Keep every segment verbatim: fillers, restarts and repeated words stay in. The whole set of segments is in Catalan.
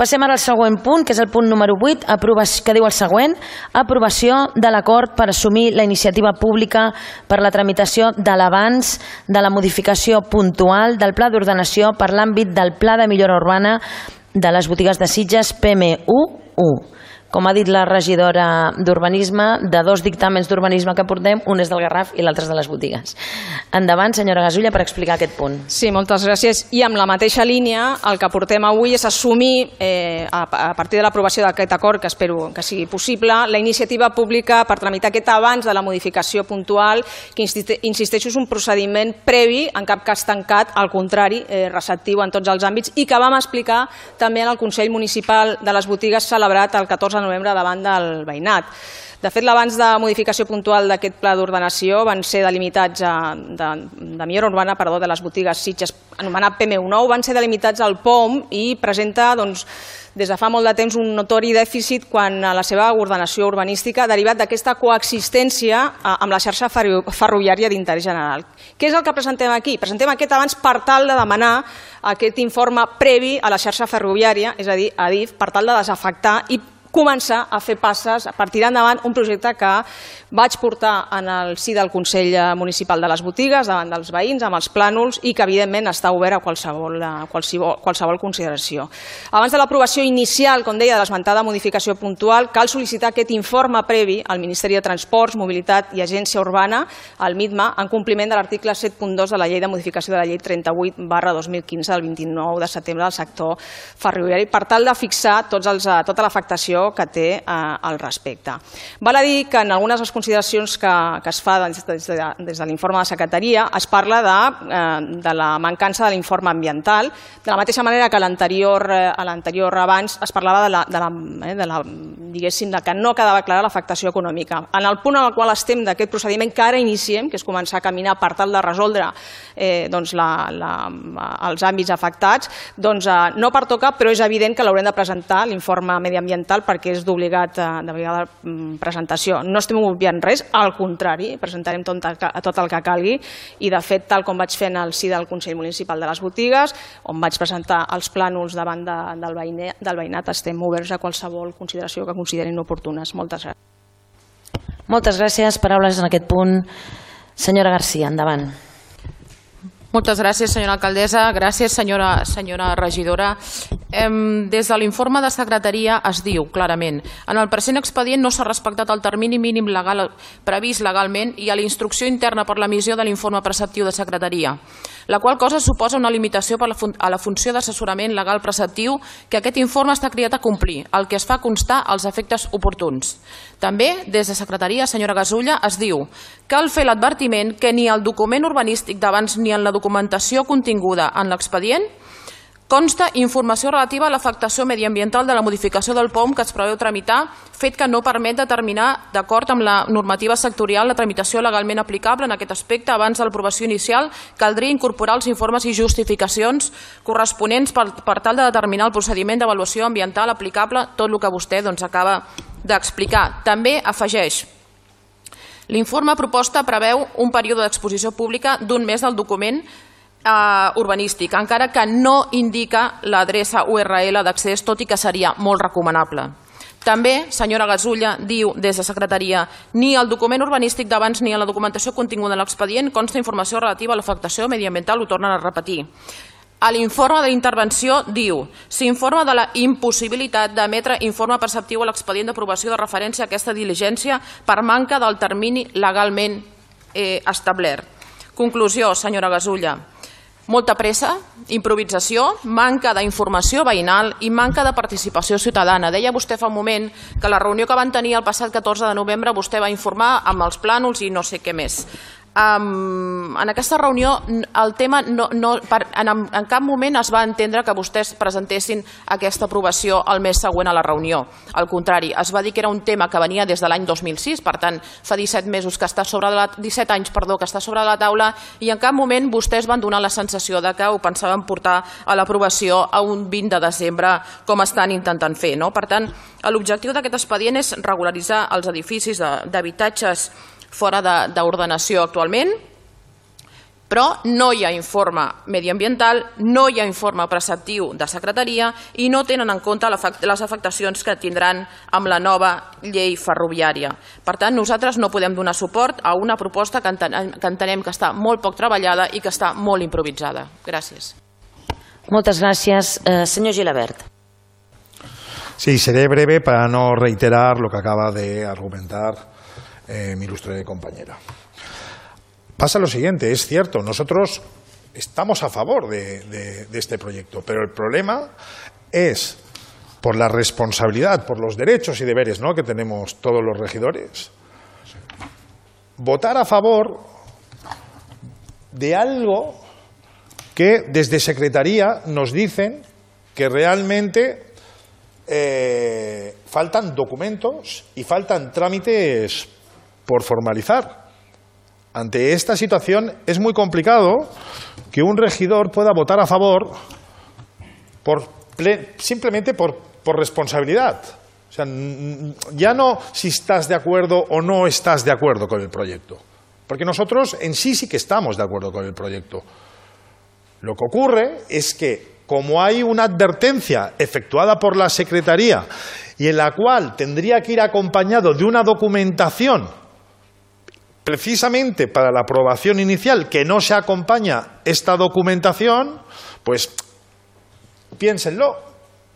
Passem ara al següent punt, que és el punt número vuit, que diu el següent: aprovació de l'acord per assumir la iniciativa pública per la tramitació de l'avanç de la modificació puntual del Pla d'Ordenació per l'àmbit del Pla de Millora Urbana de les botigues de Sitges P M U u. Com ha dit la regidora d'Urbanisme, de dos dictàmens d'urbanisme que portem, un és del Garraf i l'altre és de les botigues. Endavant, senyora Gasulla, per explicar aquest punt. Sí, moltes gràcies. I amb la mateixa línia, el que portem avui és assumir, eh, a partir de l'aprovació d'aquest acord, que espero que sigui possible, la iniciativa pública per tramitar aquest abans de la modificació puntual, que insisteixo és un procediment previ, en cap cas tancat, al contrari, eh, receptiu en tots els àmbits, i que vam explicar també en el Consell Municipal de les Botigues celebrat el catorze de novembre davant del veïnat. De fet, l'abans de modificació puntual d'aquest pla d'ordenació van ser delimitats de, de millora urbana perdó, de les botigues Sitges, anomenat P M U nou, van ser delimitats al P O M i presenta doncs, des de fa molt de temps un notori dèficit quan a la seva ordenació urbanística derivat d'aquesta coexistència amb la xarxa ferroviària d'interès general. Què és el que presentem aquí? Presentem aquest abans per tal de demanar aquest informe previ a la xarxa ferroviària, és a dir, a D I F, per tal de desafectar i començar a fer passes per tirar endavant un projecte que vaig portar en el si del Consell Municipal de les Botigues, davant dels veïns, amb els plànols, i que evidentment està obert a qualsevol, a qualsevol, qualsevol consideració. Abans de l'aprovació inicial, com deia, de l'esmentada modificació puntual, cal sol·licitar aquest informe previ al Ministeri de Transports, Mobilitat i Agència Urbana, al MITMA, en compliment de l'article set punt dos de la llei de modificació de la llei trenta-vuit barra dos mil quinze del vint-i-nou de setembre del sector ferroviari, per tal de fixar tots els, tota l'afectació que té eh, al respecte. Val a dir que en algunes de les consideracions que, que es fa des de, des de l'informe de secretaria es parla de, eh, de la mancança de l'informe ambiental, de la mateixa manera que a l'anterior eh, abans es parlava de la, de la, eh, de la, diguéssim, de que no quedava clara l'afectació econòmica. En el punt en el qual estem d'aquest procediment que ara iniciem, que és començar a caminar per tal de resoldre eh, doncs la, la, els àmbits afectats, doncs, eh, no pertoca, però és evident que l'haurem de presentar, l'informe mediambiental, perquè és d'obligat de vegada presentació. No estem obviant res, al contrari, presentarem tot el que calgui i, de fet, tal com vaig fer en el si del Consell Municipal de les Botigues, on vaig presentar els plànols davant del veïnat, estem oberts a qualsevol consideració que considerin oportunes. Moltes gràcies. Moltes gràcies. Paraules en aquest punt. Senyora Garcia, endavant. Moltes gràcies, senyora alcaldessa. Gràcies, senyora, senyora regidora. Des de l'informe de secretaria es diu clarament: en el present expedient no s'ha respectat el termini mínim legal previst legalment i a la instrucció interna per l'emissió de l'informe preceptiu de secretaria, la qual cosa suposa una limitació a la funció d'assessorament legal preceptiu que aquest informe està criat a complir, el que es fa constar als efectes oportuns. També, des de secretaria, senyora Gasulla, es diu: cal fer l'advertiment que ni el document urbanístic d'abans ni en la documentació continguda en l'expedient consta informació relativa a l'afectació mediambiental de la modificació del P O M que es preveu tramitar, fet que no permet determinar, d'acord amb la normativa sectorial, la tramitació legalment aplicable en aquest aspecte. Abans de l'aprovació inicial caldria incorporar els informes i justificacions corresponents per, per tal de determinar el procediment d'avaluació ambiental aplicable, tot el que vostè doncs, acaba d'explicar. També afegeix: l'informe proposta preveu un període d'exposició pública d'un mes del document Uh, urbanístic, encara que no indica l'adreça U R L d'accés, tot i que seria molt recomanable. També, senyora Gasulla, diu des de secretaria: ni el document urbanístic d'abans ni en la documentació continguda en l'expedient consta informació relativa a l'afectació mediambiental, ho tornen a repetir. A l'informe d'intervenció diu: s'informa de la impossibilitat d'emetre informe preceptiu a l'expedient d'aprovació de referència a aquesta diligència per manca del termini legalment eh, establert. Conclusió, senyora Gasulla: molta pressa, improvisació, manca d'informació veïnal i manca de participació ciutadana. Deia vostè fa un moment que la reunió que van tenir el passat catorze de novembre vostè va informar amb els plànols i no sé què més. Um, en aquesta reunió el tema no, no, per, en, en cap moment es va entendre que vostès presentessin aquesta aprovació el mes següent a la reunió. Al contrari, es va dir que era un tema que venia des de l'any dos mil sis, per tant fa disset mesos que està sobre la, disset anys perdó, que està sobre la taula, i en cap moment vostès van donar la sensació de que ho pensaven portar a l'aprovació a un vint de desembre com estan intentant fer, no? Per tant, l'objectiu d'aquest expedient és regularitzar els edificis d'habitatges fora d'ordenació actualment Però no hi ha informe mediambiental, no hi ha informe preceptiu de secretaria i no tenen en compte les afectacions que tindran amb la nova llei ferroviària. Per tant, nosaltres no podem donar suport a una proposta que entenem que està molt poc treballada i que està molt improvisada. Gràcies. Moltes gràcies. Eh, senyor Gilabert. Sí, seré breve para no reiterar lo que acaba de argumentar eh, mi ilustre compañera. Pasa lo siguiente, es cierto, nosotros estamos a favor de, de, de este proyecto, pero el problema es por la responsabilidad, por los derechos y deberes, ¿no?, que tenemos todos los regidores, votar a favor de algo que desde Secretaría nos dicen que realmente eh, faltan documentos y faltan trámites por formalizar. Ante esta situación es muy complicado que un regidor pueda votar a favor por, simplemente por, por responsabilidad. O sea, ya no si estás de acuerdo o no estás de acuerdo con el proyecto, porque nosotros en sí sí que estamos de acuerdo con el proyecto. Lo que ocurre es que, como hay una advertencia efectuada por la Secretaría y en la cual tendría que ir acompañado de una documentación precisamente para la aprobación inicial, que no se acompaña esta documentación, pues piénsenlo,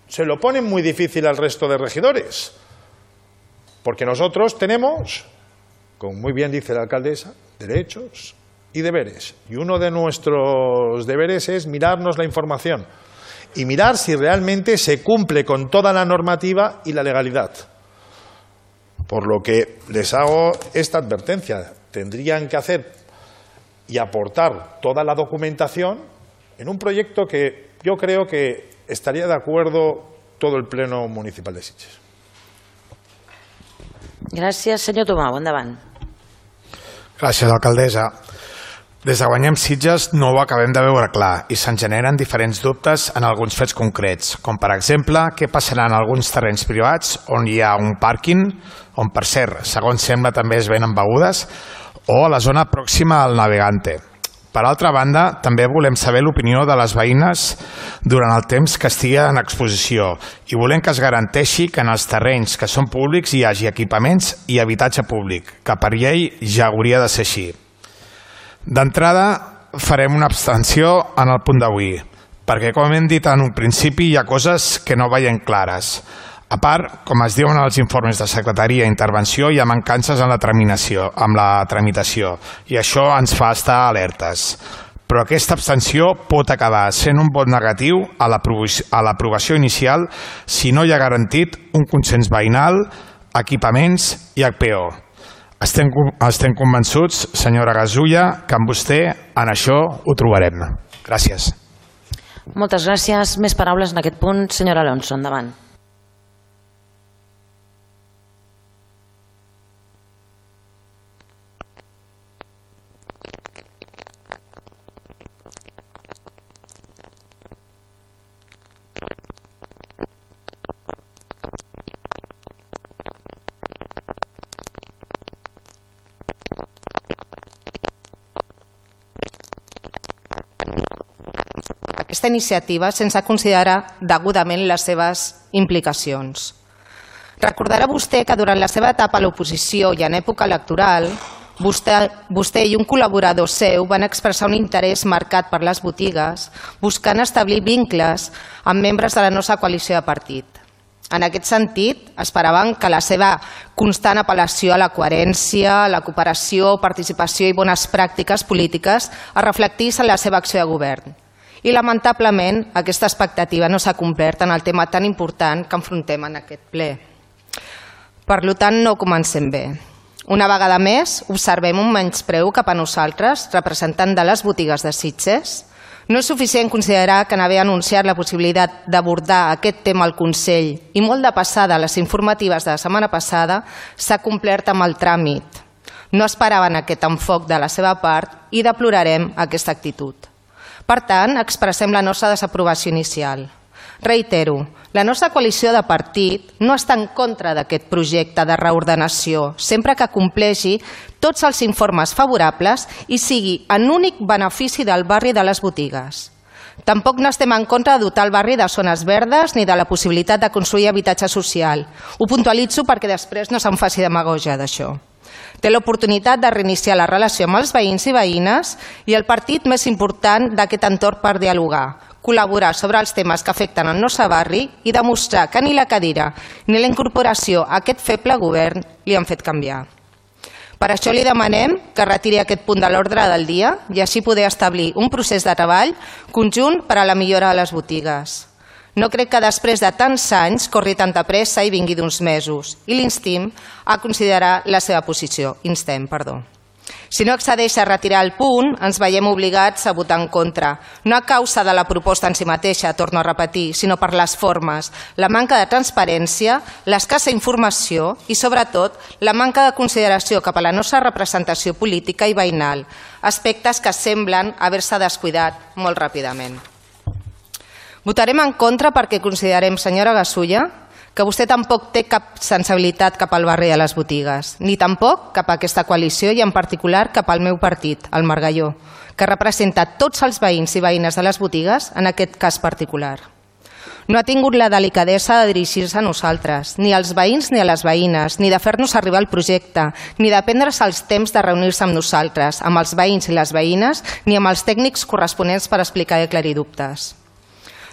se lo ponen muy difícil al resto de regidores, porque nosotros tenemos, como muy bien dice la alcaldesa, derechos y deberes, y uno de nuestros deberes es mirarnos la información y mirar si realmente se cumple con toda la normativa y la legalidad. Por lo que les hago esta advertencia, tendrían que hacer y aportar toda la documentación en un proyecto que yo creo que estaría de acuerdo todo el Pleno Municipal de Sitges. Gràcies. Senyor Tomau, endavant. Gràcies, alcaldessa. Des de Guanyem Sitges no ho acabem de veure clar i se'n generen diferents dubtes en alguns fets concrets, com per exemple què passarà en alguns terrenys privats on hi ha un pàrquing, on per cert, segons sembla també es venen begudes, o a la zona pròxima al Navegante. Per altra banda, també volem saber l'opinió de les veïnes durant el temps que estigui en exposició i volem que es garanteixi que en els terrenys que són públics hi hagi equipaments i habitatge públic, que per llei ja hauria de ser així. D'entrada, farem una abstenció en el punt d'avui, perquè, com hem dit en un principi, hi ha coses que no veiem clares. A part, com es diuen els informes de secretaria i intervenció, hi ha mancances en la tramitació, amb la tramitació, i això ens fa estar alertes. Però aquesta abstenció pot acabar sent un vot negatiu a l'aprovació inicial si no hi ha garantit un consens veïnal, equipaments i H P O. Estem, estem convençuts, senyora Gasulla, que amb vostè en això ho trobarem. Gràcies. Moltes gràcies. Més paraules en aquest punt. Senyora Alonso, endavant. Aquesta iniciativa sense considerar degudament les seves implicacions. Recordarà vostè que durant la seva etapa a l'oposició i en època electoral, vostè, vostè i un col·laborador seu van expressar un interès marcat per les botigues, buscant establir vincles amb membres de la nostra coalició de partit. En aquest sentit, esperaven que la seva constant apel·lació a la coherència, la cooperació, participació i bones pràctiques polítiques es reflectís en la seva acció de govern. I, lamentablement, aquesta expectativa no s'ha complert en el tema tan important que enfrontem en aquest ple. Per tant, no comencem bé. Una vegada més, observem un menyspreu cap a nosaltres, representant de les botigues de Sitges. No és suficient considerar que n'haver anunciat la possibilitat d'abordar aquest tema al Consell i molt de passada les informatives de la setmana passada s'ha complert amb el tràmit. No esperaven aquest enfoc de la seva part i deplorarem aquesta actitud. Per tant, expressem la nostra desaprovació inicial. Reitero, la nostra coalició de partit no està en contra d'aquest projecte de reordenació, sempre que compleixi tots els informes favorables i sigui en únic benefici del barri de les botigues. Tampoc no estem en contra de dotar el barri de zones verdes ni de la possibilitat de construir habitatge social. Ho puntualitzo perquè després no se'n faci demagògia d'això. Té l'oportunitat de reiniciar la relació amb els veïns i veïnes i el partit més important d'aquest entorn per dialogar, col·laborar sobre els temes que afecten el nostre barri i demostrar que ni la cadira ni la incorporació a aquest feble govern li han fet canviar. Per això li demanem que retiri aquest punt de l'ordre del dia i així poder establir un procés de treball conjunt per a la millora de les botigues. No crec que després de tants anys corri tanta pressa i vingui d'uns mesos i l'instim a considerar la seva posició. Instem, perdó. Si no accedeix a retirar el punt, ens veiem obligats a votar en contra, no a causa de la proposta en si mateixa, torno a repetir, sinó per les formes, la manca de transparència, l'escassa informació i, sobretot, la manca de consideració cap a la nostra representació política i veïnal, aspectes que semblen haver-se descuidat molt ràpidament. Votarem en contra perquè considerem, senyora Gasulla, que vostè tampoc té cap sensibilitat cap al barri de les botigues, ni tampoc cap a aquesta coalició i en particular cap al meu partit, el Margalló, que representa tots els veïns i veïnes de les botigues en aquest cas particular. No ha tingut la delicadesa de dirigir-se a nosaltres, ni als veïns ni a les veïnes, ni de fer-nos arribar el projecte, ni de prendre's els temps de reunir-se amb nosaltres, amb els veïns i les veïnes, ni amb els tècnics corresponents per explicar i aclarir dubtes.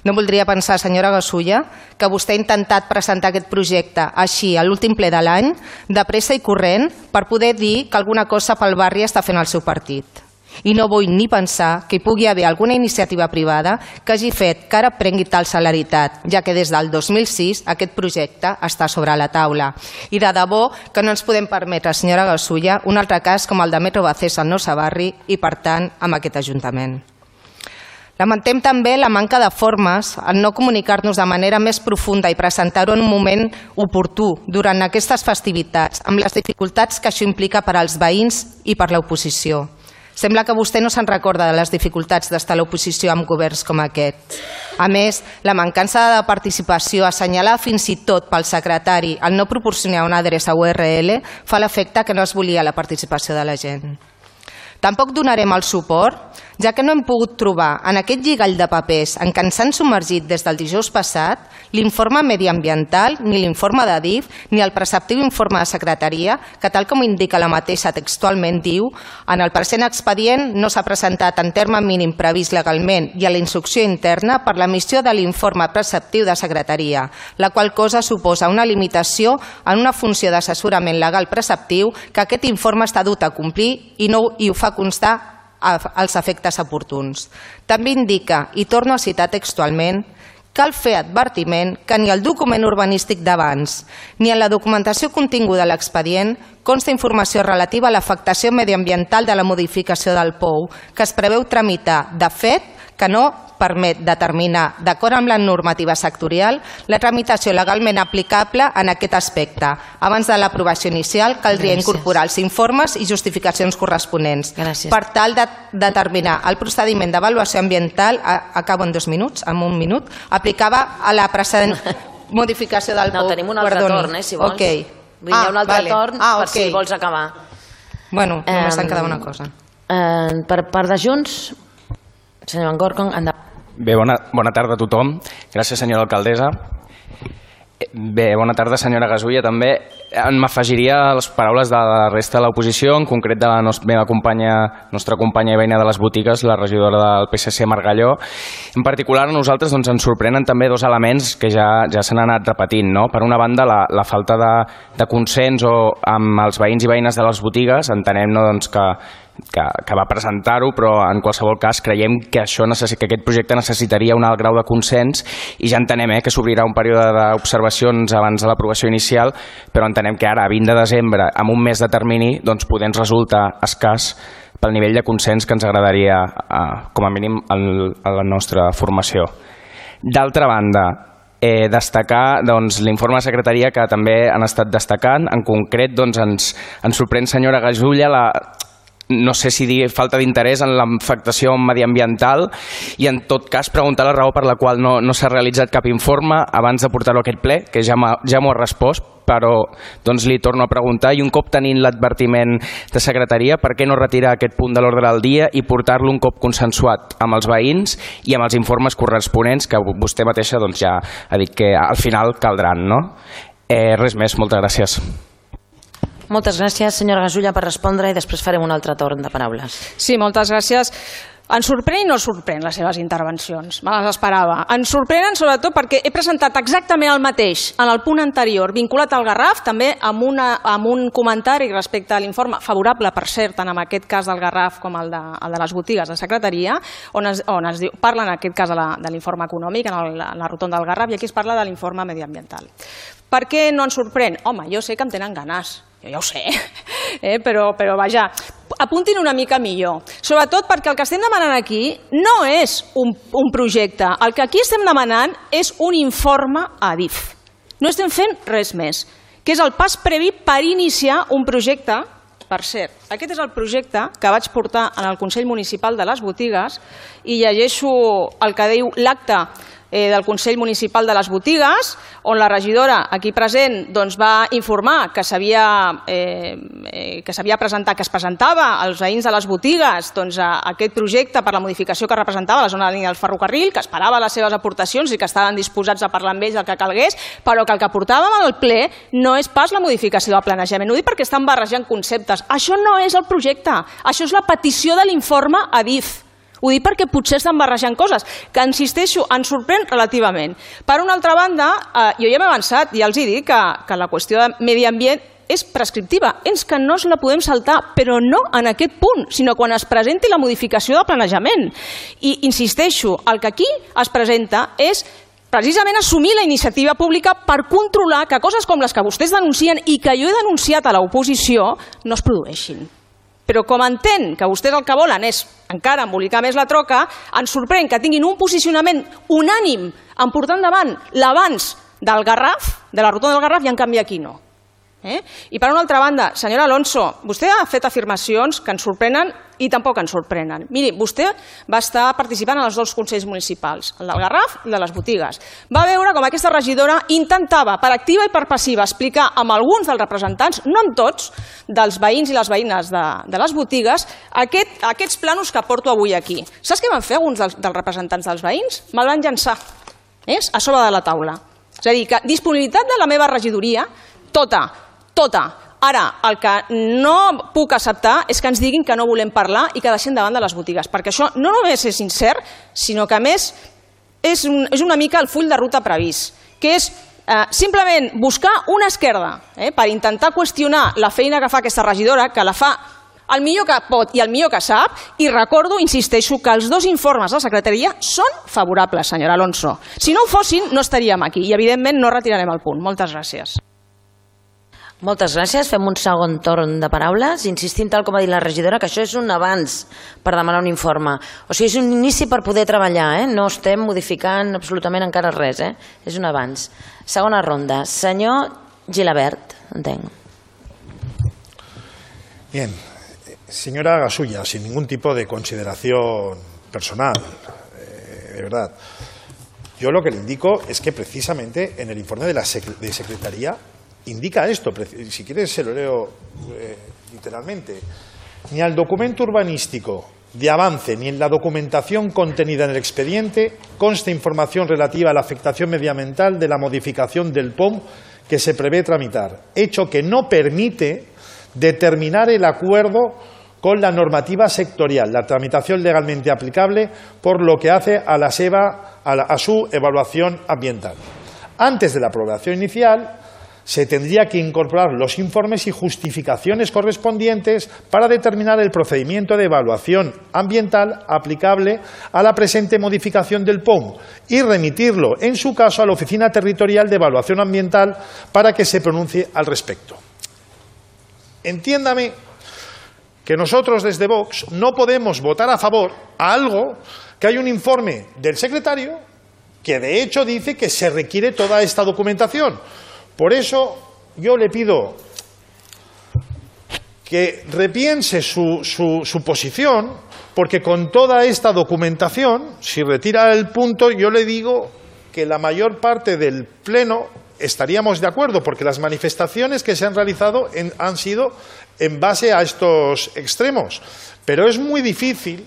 No voldria pensar, senyora Gasulla, que vostè ha intentat presentar aquest projecte així a l'últim ple de l'any, de pressa i corrent, per poder dir que alguna cosa pel barri està fent el seu partit. I no vull ni pensar que hi pugui haver alguna iniciativa privada que hagi fet que ara prengui tal celeritat, ja que des del dos mil sis aquest projecte està sobre la taula. I de debò que no ens podem permetre, senyora Gasulla, un altre cas com el de Metro Bacés al nostre barri i, per tant, amb aquest Ajuntament. Lamentem també la manca de formes en no comunicar-nos de manera més profunda i presentar-ho en un moment oportú durant aquestes festivitats, amb les dificultats que això implica per als veïns i per l'oposició. Sembla que vostè no se'n recorda de les dificultats d'estar a l'oposició amb governs com aquest. A més, la mancança de participació assenyalada fins i tot pel secretari al no proporcionar una adreça U R L fa l'efecte que no es volia la participació de la gent. Tampoc donarem el suport, ja que no hem pogut trobar en aquest lligall de papers en què ens han submergit des del dijous passat l'informe mediambiental, ni l'informe de D I F, ni el preceptiu informe de secretaria, que tal com indica la mateixa textualment diu en el present expedient no s'ha presentat en terme mínim previst legalment i a la instrucció interna per l'emissió de l'informe preceptiu de secretaria, la qual cosa suposa una limitació en una funció d'assessorament legal preceptiu que aquest informe està dut a complir i, no, i ho fa constar als efectes oportuns. També indica, i torno a citar textualment, cal fer advertiment que ni el document urbanístic d'abans ni en la documentació continguda a l'expedient consta informació relativa a l'afectació mediambiental de la modificació del P O U que es preveu tramitar. De fet, que no permet determinar, d'acord amb la normativa sectorial, la tramitació legalment aplicable en aquest aspecte. Abans de l'aprovació inicial caldria Gràcies. incorporar els informes i justificacions corresponents Gràcies. per tal de determinar el procediment d'avaluació ambiental, a, acabo en dos minuts, en un minut, aplicava a la precedent modificació del P O U. No, tenim un altre Perdoni. torn, eh, si vols. Okay. Vull ah, un altre vale. torn ah, per okay. si vols acabar. Bueno, només eh, en queda una cosa. Eh, per part de Junts, senyor Van Gorkom, endavant. Bé, bona, bona tarda a tothom. Gràcies, senyora alcaldessa. Bé, bona tarda, senyora Gasulla, també. M'afegiria a les paraules de la resta de l'oposició, en concret de la nostra, meva companya, nostra companya i veïna de les botigues, la regidora del P S C Margalló. En particular, a nosaltres doncs, ens sorprenen també dos elements que ja, ja s'han anat repetint. No? Per una banda, la, la falta de, de consens o amb els veïns i veïnes de les botigues. Entenem no, doncs, que Que, que va presentar-ho, però en qualsevol cas creiem que, això necessi, que aquest projecte necessitaria un alt grau de consens i ja entenem eh, que s'obrirà un període d'observacions abans de l'aprovació inicial, però entenem que ara, a vint de desembre, amb un mes de termini, doncs podent resultar escàs pel nivell de consens que ens agradaria, eh, com a mínim, el, a la nostra formació. D'altra banda, Eh, destacar doncs, l'informe de secretaria que també han estat destacant. En concret, doncs, ens, ens sorprèn, senyora Gasulla, la no sé si dir falta d'interès en l'afectació mediambiental i en tot cas preguntar la raó per la qual no, no s'ha realitzat cap informe abans de portar-lo a aquest ple, que ja m'ha ja m'ho ha respost, però doncs li torno a preguntar, i un cop tenint l'advertiment de secretaria, per què no retirar aquest punt de l'ordre del dia i portar-lo un cop consensuat amb els veïns i amb els informes corresponents que vostè mateixa doncs, ja ha dit que al final caldran, no? Eh, res més, moltes gràcies. Moltes gràcies, senyora Gasulla, per respondre i després farem un altre torn de paraules. Sí, moltes gràcies. Ens sorprèn i no sorprèn les seves intervencions, me les esperava. Ens sorprenen sobretot perquè he presentat exactament el mateix en el punt anterior, vinculat al Garraf, també amb, una, amb un comentari respecte a l'informe, favorable per cert, tant en aquest cas del Garraf com el de, el de les botigues de secretaria, on es, on es diu, parla en aquest cas de, la, de l'informe econòmic, en, el, en la rotonda del Garraf, i aquí es parla de l'informe mediambiental. Per què no ens sorprèn? Home, jo sé que em tenen ganes. Jo ja ho sé, eh? però, però vaja, apuntin una mica millor. Sobretot perquè el que estem demanant aquí no és un, un projecte. El que aquí estem demanant és un informe a D I F. No estem fent res més, que és el pas previ per iniciar un projecte. Per cert, aquest és el projecte que vaig portar en el Consell Municipal de les Botigues i llegeixo el que diu l'acte del Consell Municipal de les Botigues, on la regidora aquí present doncs, va informar que s'havia eh, que s'havia presentat, que es presentava als veïns de les botigues doncs, a aquest projecte per la modificació que representava la zona de la línia del ferrocarril, que esperava les seves aportacions i que estaven disposats a parlar amb ells del que calgués, però que el que portàvem al ple no és pas la modificació del planejament. Ho dic perquè estan barrejant conceptes. Això no és el projecte, això és la petició de l'informe a D I F. Ho dic perquè potser estan barrejant coses, que, insisteixo, ens sorprèn relativament. Per una altra banda, eh, jo ja m'he avançat, i ja els he dit que, que la qüestió de medi ambient és prescriptiva, és que no ens la podem saltar, però no en aquest punt, sinó quan es presenti la modificació del planejament. I insisteixo, el que aquí es presenta és precisament assumir la iniciativa pública per controlar que coses com les que vostès denuncien i que jo he denunciat a l'oposició no es produeixin. Però com entenc que vostès el que volen és encara embolicar més la troca, ens sorprèn que tinguin un posicionament unànim en portar endavant l'avanç del Garraf, de la rotonda del Garraf, i en canvi aquí no. Eh? I per una altra banda, senyora Alonso, vostè ha fet afirmacions que ens sorprenen i tampoc ens sorprenen. Miri, vostè va estar participant en els dos consells municipals, el del Garraf i el de les botigues. Va veure com aquesta regidora intentava, per activa i per passiva, explicar amb alguns dels representants, no amb tots, dels veïns i les veïnes de, de les botigues, aquest, aquests planos que porto avui aquí. Saps què van fer alguns dels, dels representants dels veïns? Me'l van llançar, és? A sobre de la taula. És a dir, que disponibilitat de la meva regidoria, tota, tota. Ara, el que no puc acceptar és que ens diguin que no volem parlar i que deixem davant de les botigues, perquè això no només és incert, sinó que a més és, un, és una mica el full de ruta previst, que és eh, simplement buscar una esquerda eh, per intentar qüestionar la feina que fa aquesta regidora, que la fa el millor que pot i el millor que sap, i recordo, insisteixo, que els dos informes de la secretaria són favorables, senyora Alonso. Si no ho fossin, no estaríem aquí i, evidentment, no retirarem el punt. Moltes gràcies. Moltes gràcies. Fem un segon torn de paraules, insistint, tal com ha dit la regidora, que això és un avanç per demanar un informe. O sigui, és un inici per poder treballar, eh? No estem modificant absolutament encara res, eh? És un avanç. Segona ronda. Senyor Gilabert, entenc. Bien. Señora Gasulla, sin ningún tipo de consideración personal, eh, de verdad, yo lo que le indico es que precisamente en el informe de la sec- de Secretaría indica esto, si quieres se lo leo eh, literalmente, ni al documento urbanístico de avance ni en la documentación contenida en el expediente consta información relativa a la afectación medioambiental de la modificación del P O M que se prevé tramitar, hecho que no permite determinar el acuerdo con la normativa sectorial, la tramitación legalmente aplicable por lo que hace a, la SEBA, a, la, a su evaluación ambiental. Antes de la aprobación inicial, se tendría que incorporar los informes y justificaciones correspondientes para determinar el procedimiento de evaluación ambiental aplicable a la presente modificación del P O M y remitirlo, en su caso, a la Oficina Territorial de Evaluación Ambiental para que se pronuncie al respecto. Entiéndame que nosotros desde Vox no podemos votar a favor a algo que hay un informe del secretario que de hecho dice que se requiere toda esta documentación. Por eso yo le pido que repiense su, su, su posición, porque con toda esta documentación, si retira el punto, yo le digo que la mayor parte del Pleno estaríamos de acuerdo, porque las manifestaciones que se han realizado en, han sido en base a estos extremos. Pero es muy difícil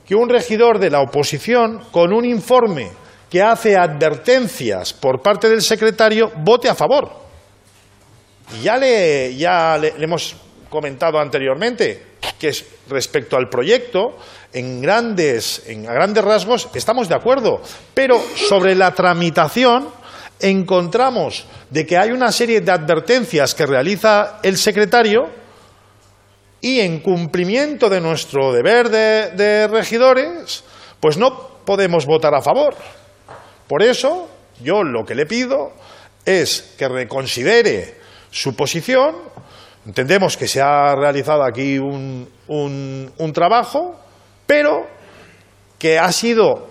que un regidor de la oposición, con un informe que hace advertencias por parte del secretario, vote a favor. Y ya le, ya le, le hemos comentado anteriormente que es respecto al proyecto, en grandes, en, a grandes rasgos estamos de acuerdo, pero sobre la tramitación encontramos de que hay una serie de advertencias que realiza el secretario y en cumplimiento de nuestro deber de, de regidores, pues no podemos votar a favor. Por eso, yo lo que le pido es que reconsidere su posición. Entendemos que se ha realizado aquí un, un, un trabajo, pero que ha sido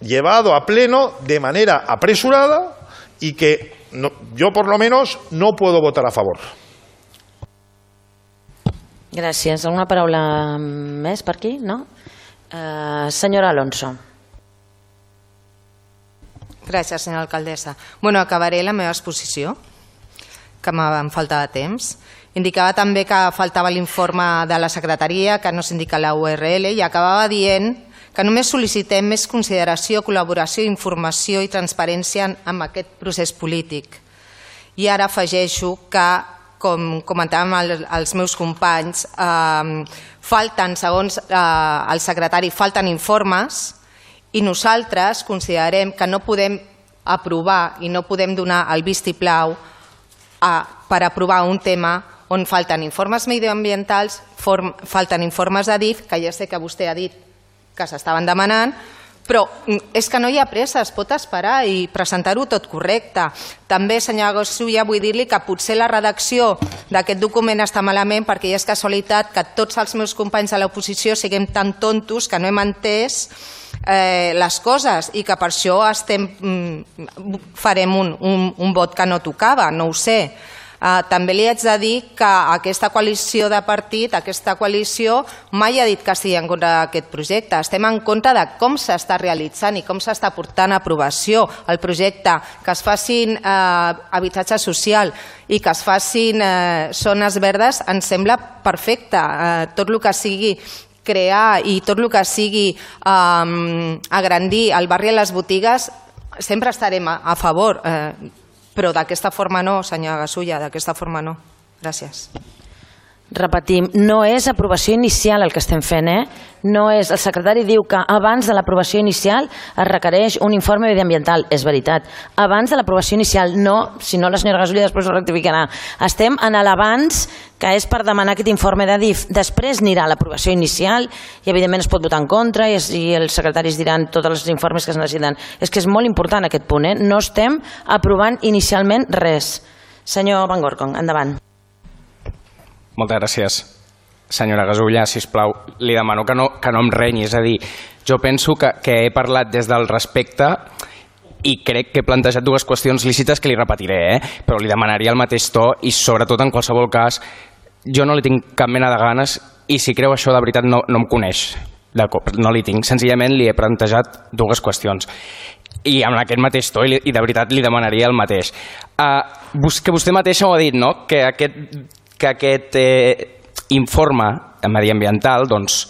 llevado a pleno de manera apresurada y que no, yo, por lo menos, no puedo votar a favor. Gràcies. Alguna paraula més per aquí? No? Uh, senyora Alonso. Gràcies, senyora alcaldessa. Bueno, acabaré la meva exposició, que em faltava temps. Indicava també que faltava l'informe de la secretaria, que no s'indica la U R L, i acabava dient que només sol·licitem més consideració, col·laboració, informació i transparència en aquest procés polític. I ara afegeixo que, com comentàvem els meus companys, falten, segons el secretari, falten informes i nosaltres considerem que no podem aprovar i no podem donar el vistiplau per aprovar un tema on falten informes mediambientals, falten informes de D I F, que ja sé que vostè ha dit que s'estaven demanant, però és que no hi ha pressa, es pot esperar i presentar-ho tot correcte. També, senyor Gasulla, vull dir-li que potser la redacció d'aquest document està malament perquè ja és casualitat que tots els meus companys de l'oposició siguem tan tontos que no hem entès eh, les coses i que per això estem, farem un, un, un vot que no tocava, no ho sé. Uh, també li haig de dir que aquesta coalició de partit, aquesta coalició, mai ha dit que estigui en contra d'aquest projecte. Estem en contra de com s'està realitzant i com s'està portant a aprovació el projecte, que es facin eh, habitatge social i que es facin eh, zones verdes, ens sembla perfecte. Eh, tot el que sigui crear i tot el que sigui eh, agrandir el barri a les botigues, sempre estarem a, a favor. Eh, Però d'aquesta forma no, senyor Gasulla, d'aquesta forma no. Gràcies. Repetim, no és aprovació inicial el que estem fent, eh? No és, el secretari diu que abans de l'aprovació inicial es requereix un informe mediambiental. És veritat. Abans de l'aprovació inicial, no, si no la senyora Gasulla després ho rectificarà. Estem en l'abans, que és per demanar aquest informe de D I F. Després anirà l'aprovació inicial i evidentment es pot votar en contra i, es, i els secretaris diran tots els informes que es necessiten. És que és molt important aquest punt, eh? No estem aprovant inicialment res. Senyor Van Gorkom, endavant. Moltes gràcies. Senyora Gasulla, sisplau, li demano que no, que no em renyi. És a dir, jo penso que, que he parlat des del respecte i crec que he plantejat dues qüestions lícites que li repetiré, eh? Però li demanaria el mateix to i, sobretot, en qualsevol cas, jo no li tinc cap mena de ganes i si creu això de veritat no, no em coneix. No li tinc. Senzillament li he plantejat dues qüestions. I amb aquest mateix to, i de veritat li demanaria el mateix. Uh, que vostè mateixa ho ha dit, no? Que aquest, que aquest eh, informe mediambiental doncs,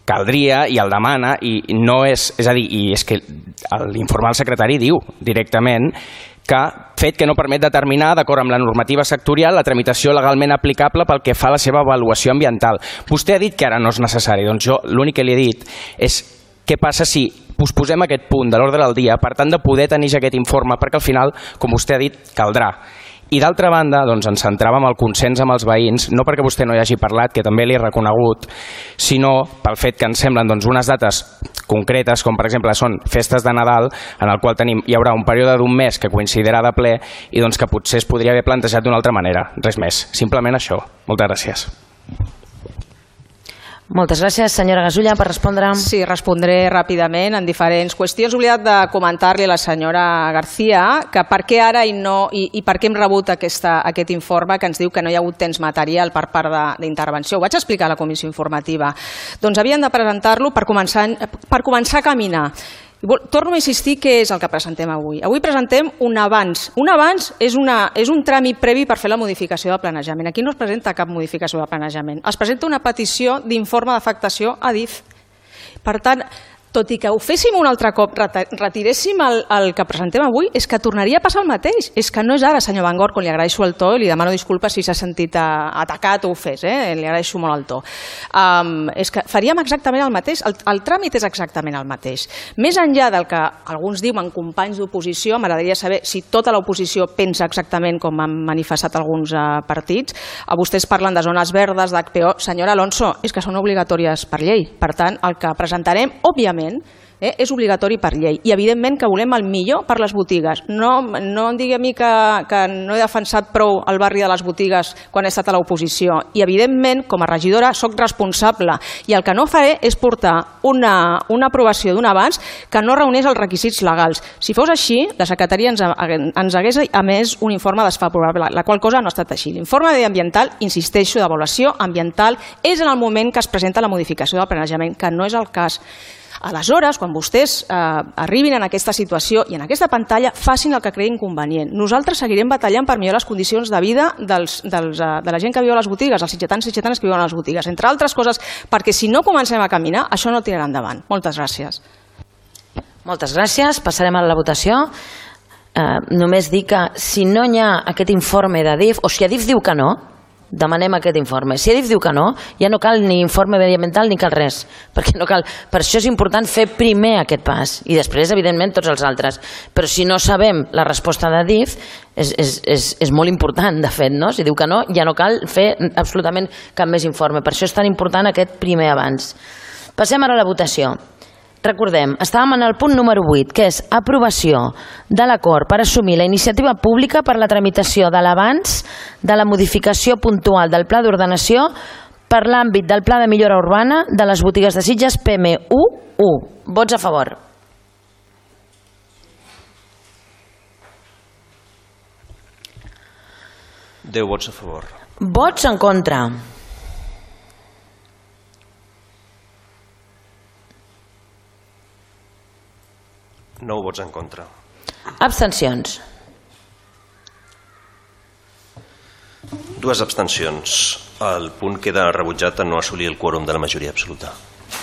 caldria i el demana i no és... És a dir, i és que l'informe del secretari diu directament que fet que no permet determinar, d'acord amb la normativa sectorial, la tramitació legalment aplicable pel que fa a la seva avaluació ambiental. Vostè ha dit que ara no és necessari. Doncs jo l'únic que li he dit és què passa si posposem aquest punt de l'ordre del dia per tant de poder tenir ja aquest informe, perquè al final, com vostè ha dit, caldrà. I d'altra banda, doncs, ens centràvem al consens amb els veïns, no perquè vostè no hi hagi parlat, que també l'he reconegut, sinó pel fet que ens semblen doncs, unes dates concretes, com per exemple són festes de Nadal, en el qual tenim, hi haurà un període d'un mes que coincidirà de ple i doncs, que potser es podria haver plantejat d'una altra manera. Res més, simplement això. Moltes gràcies. Moltes gràcies. Senyora Gasulla, per respondre. Sí, respondré ràpidament en diferents qüestions. He oblidat de comentar-li a la senyora García que per què ara i, no, i, i per què hem rebut aquesta, aquest informe que ens diu que no hi ha hagut temps material per part d'intervenció. Ho vaig explicar a la comissió informativa. Doncs havien de presentar-lo per començar, per començar a caminar. Torno a insistir què és el que presentem avui. Avui presentem un abans. Un abans és, una, és un tràmit previ per fer la modificació del planejament. Aquí no es presenta cap modificació del planejament. Es presenta una petició d'informe d'afectació a D I F. Per tant, tot i que ho féssim un altre cop, retiréssim el, el que presentem avui, és que tornaria a passar el mateix. És que no és ara, senyor Van Gogh, quan li agraeixo el to i li demano disculpes si s'ha sentit atacat o ofès, eh? Li agraeixo molt el to. Um, és que faríem exactament el mateix, el, el tràmit és exactament el mateix. Més enllà del que alguns diuen companys d'oposició, m'agradaria saber si tota l'oposició pensa exactament com han manifestat alguns uh, partits. Uh, vostès parlen de zones verdes, d'H P O. Senyora Alonso, és que són obligatòries per llei. Per tant, el que presentarem, òbviament, Eh, és obligatori per llei i evidentment que volem el millor per les botigues. No, no em digui a mi que, que no he defensat prou el barri de les botigues quan he estat a l'oposició i evidentment com a regidora soc responsable i el que no faré és portar una, una aprovació d'un abans que no reuneix els requisits legals. Si fos així, la secretaria ens, ens hagués emès un informe desfavorable, la qual cosa no ha estat així. L'informe mediambiental, insisteixo, d'avaluació ambiental és en el moment que es presenta la modificació del planejament, que no és el cas. Aleshores, quan vostès eh, arribin en aquesta situació i en aquesta pantalla, facin el que creguin convenient. Nosaltres seguirem batallant per millorar les condicions de vida dels, dels, eh, de la gent que viu a les botigues, els sitgetans i sitgetanes que viuen a les botigues, entre altres coses, perquè si no comencem a caminar, això no tirarà endavant. Moltes gràcies. Moltes gràcies. Passarem a la votació. Eh, només dir que si no hi ha aquest informe de D I F, o si a D I F diu que no, demanem aquest informe. Si a D I F diu que no, ja no cal ni informe mediambiental ni cal res, perquè no cal. Per això és important fer primer aquest pas i després, evidentment, tots els altres. Però si no sabem la resposta de D I F, és, és, és, és molt important, de fet, no? Si diu que no, ja no cal fer absolutament cap més informe. Per això és tan important aquest primer abans. Passem ara a la votació. Recordem, estàvem en el punt número vuit, que és aprovació de l'acord per assumir la iniciativa pública per la tramitació de l'abans de la modificació puntual del pla d'ordenació per l'àmbit del pla de millora urbana de les botigues de Sitges P M u u. Vots a favor. deu vots a favor. Vots en contra. nou vots en contra. Abstencions. Dues abstencions. El punt queda rebutjat en no assolir el quòrum de la majoria absoluta.